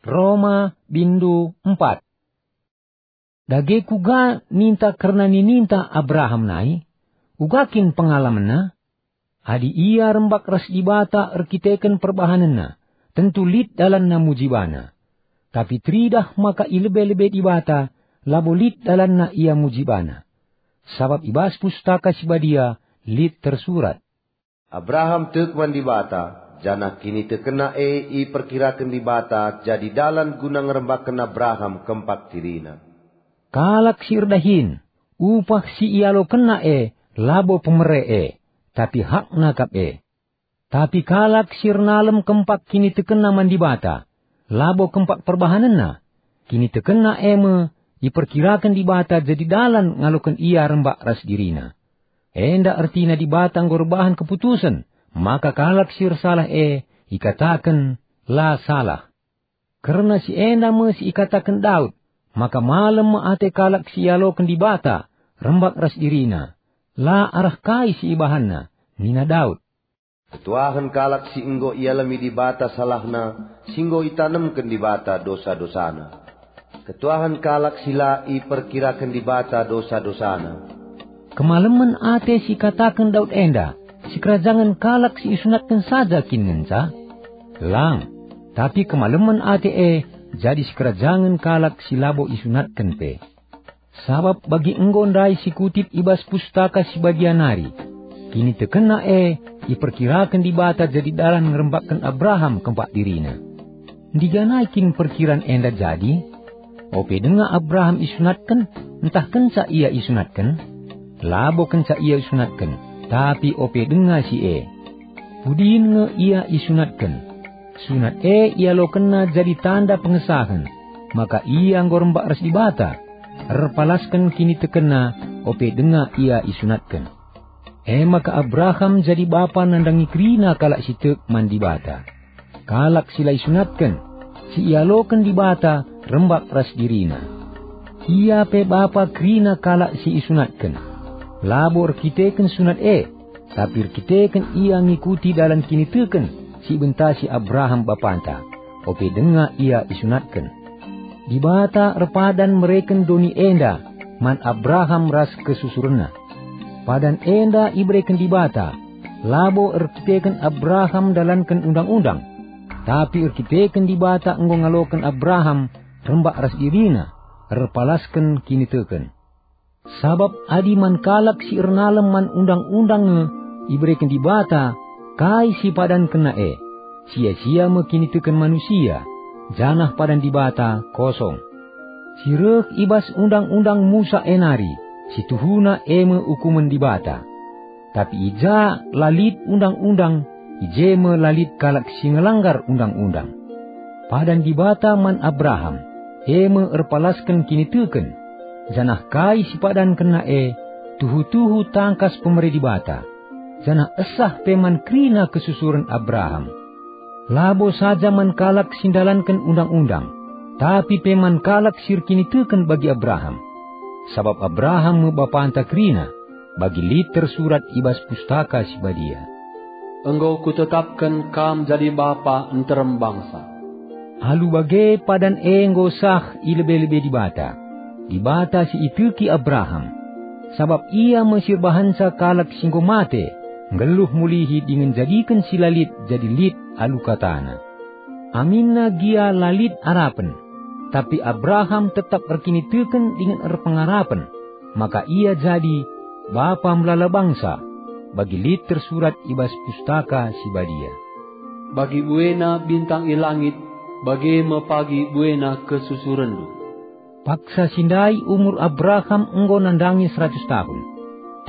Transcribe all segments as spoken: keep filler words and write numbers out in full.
Roma bindu empat. Dage kuga ninta kerna nininta Abraham nai? Uga kin pengalamenna? Adi ia rembak ras Dibata erkiteken perbahanenna, tentu lit dalanna muji bana. Tapi teridah maka i lebe-lebe Dibata, labo lit dalanna ia muji bana. Sabap i bas Pustaka Si Badia lit tersurat, "Abraham tek man Dibata, janah kinitekenna e iperkiraken Dibata jadi dalan guna ngerembakken Abraham kempak dirina." Kalak si erdahin, upah si ialokenna e labo pemere e, tapi hakna kap e. Tapi kalak si ernalem kempak kinitekenna man Dibata, labo kempak perbahanenna, kinitekenna e me iperkiraken Dibata jadi dalan ngaloken ia rembak ras dirina. Enda ertina Dibata enggo erbahan keputusen maka kalak si ersalah e ikataken la salah. Kerna si enda me si ikataken Daud, maka malem me ate kalak si ialoken Dibata rembak ras dirina, la arah kai si ibahanna, nina Daud. Ketuahen kalak si enggo ialemi Dibata salahna, si enggo itanemken Dibata dosa-dosana. Ketuahen kalak si la iperkiraken Dibata dosa-dosana. Kemalemen ate si ikataken Daud enda, sikerajangen kalak si isunatken saja kin ngenca? Lang, tapi kemalemen ate e jadi sikerajangen kalak si labo isunatken pe. Sabap bagi enggo ndai si kutip i bas Pustaka Si Badia nari, kinitekenna e iperkiraken Dibata jadi dalan ngerembakken Abraham kempak dirina. Ndiganai kin perkiran enda jadi? Ope denga Abraham isunatken, ntah kenca ia isunatken? Labo kenca ia isunatken, tapi ope denga si e. Pudin nge ia isunatken. Sunat e ialokenna jadi tanda pengesahen, maka ia enggo rembak ras Dibata, erpalasken kinitekenna ope denga ia isunatken. E maka Abraham jadi bapa nandangi kerina kalak si tek man Dibata. Kalak si la isunatken, si ialoken Dibata rembak ras dirina. Ia pe bapa kerina kalak si isunatken. Labo erkiteken sunat e, tapi erkiteken ia ngikuti dalan kiniteken si ibentasi Abraham bapanta, ope denga ia isunatken. Dibata erpadan mereken doni enda man Abraham ras kesusurenna. Padan enda ibereken Dibata, labo erkiteken Abraham ndalanken undang-undang, tapi erkiteken Dibata enggo ngaloken Abraham rembak ras dirina, erpalasken kiniteken. Sabap adi man kalak si ernalem man undang-undang nge ibereken Dibata kai si padankenna e, sia-sia me kiniteken manusia, janah padan Dibata kosong. Si reh i bas undang-undang Musa e nari, si tuhuna e me ukumen Dibata. Tapi i ja la lit undang-undang, i je me la lit kalak si ngelanggar undang-undang. Padan Dibata man Abraham, e me erpalasken kiniteken, janah kai si padankenna e tuhu-tuhu tangkas pemere Dibata, janah esah pe man kerina kesusuren Abraham. Labo saja man kalak si ndalanken undang-undang, tapi pe man kalak si erkiniteken bagi Abraham. Sabap Abraham me bapanta kerina, bagi lit tersurat i bas Pustaka Si Badia, "Enggo kutetapken kam jadi bapa nterem bangsa." Alu bage padan e enggo sah i lebe-lebe Dibata, Dibata si iteki Abraham. Sabap Ia me si erbahanca kalak si enggo mate, nggeluh mulihi dingen jadiken si la lit jadi lit alu kataNa. Aminna gia la lit arapen, tapi Abraham tetap erkiniteken dingen erpengarapen, maka ia jadi bapa melala bangsa, bagi lit tersurat i bas Pustaka Si Badia, "Bagi buena bintang i langit, bage me pagi buena kesusurenndu." Paksa si ndai umur Abraham enggo nandangi seratus tahun.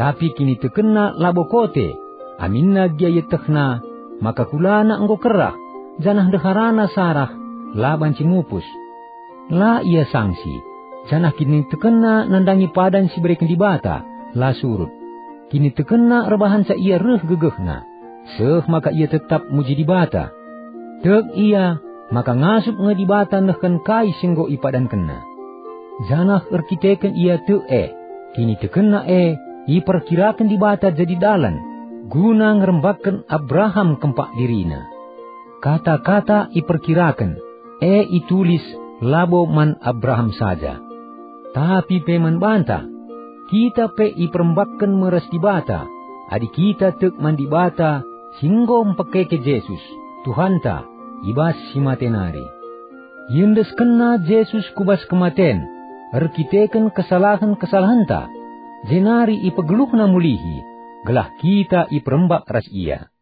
Tapi kinitekenna labo kote, aminna gia ietehna maka kulana enggo kerah, janah ndeharana Sarah la banci mupus. La ia sangsi, janah kinitekenna nandangi padan si ibereken Dibata la surut. Kinitekenna erbahanca ia reh gegehna, seh maka ia tetap muji Dibata. Tek ia maka ngasup nge Dibata nehken kai si enggo ipadankenna. Janah erkiteken ia tek e, kinitekenna e iperkiraken Dibata jadi dalan guna ngerembakken Abraham kempak dirina. Kata-kata iperkiraken e itulis labo man Abraham saja, tapi pe man banta. Kita pe iperembakken me ras Dibata, adi kita tek man Dibata si enggo mpekeke Jesus, Tuhanta, i bas si mate nari. IendeskenNa Jesus ku bas kematen erkiteken kesalahen-kesalahenta, jenari ipegeluhNa mulihi, gelah kita iperembak ras IA.